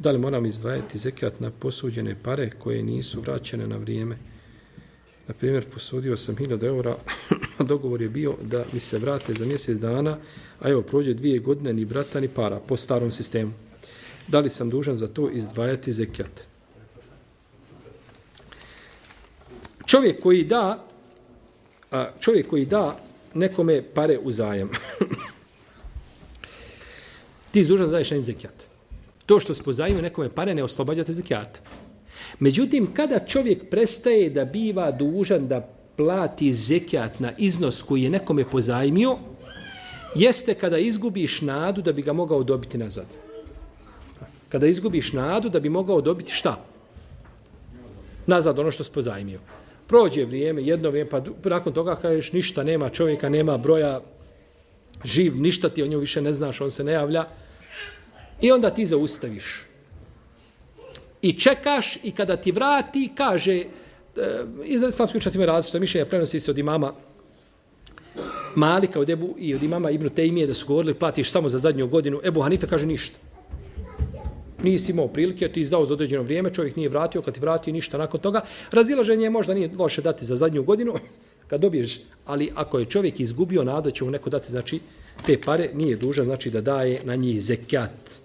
Da li moram izdvajati zekat na posuđene pare koje nisu vraćene na vrijeme? Na primjer, posudio sam 1000 eura, dogovor je bio da mi se vrate za mjesec dana, a evo, prođe 2 godine, ni brata, ni para, po starom sistemu. Da li sam dužan za to izdvajati zekat? Čovjek koji da nekome pare u zajam, ti si dužan da daješ na zekat. To što se pozajmio nekome pare ne oslobađate zekijata. Međutim, kada čovjek prestaje da biva dužan da plati zekijat na iznos koji je nekome pozajmio, jeste kada izgubiš nadu da bi ga mogao dobiti nazad. Kada izgubiš nadu da bi mogao dobiti šta? Nazad ono što si pozajmio. Prođe vrijeme, jedno vrijeme, pa nakon toga kažeš ništa, nema čovjeka, nema broja, živ, ništa ti o njemu više ne znaš, on se ne javlja. I onda ti zaustaviš. I čekaš i kada ti vrati, kaže, iz islamskih učenjaka ima različita mišljenja, prenosi se od imama Malika i od imama Ibn Tejmije da su govorili platiš samo za zadnju godinu. Ebu Hanife kaže ništa. Nisi imao prilike, ti izdao za određeno vrijeme, čovjek nije vratio, kad ti vrati ništa nakon toga. Razilaženje možda nije loše dati za zadnju godinu, kad dobiješ, ali ako je čovjek izgubio nadu, će mu neko dati, znači, te pare, nije dužan, znači, da daje na njih zekat.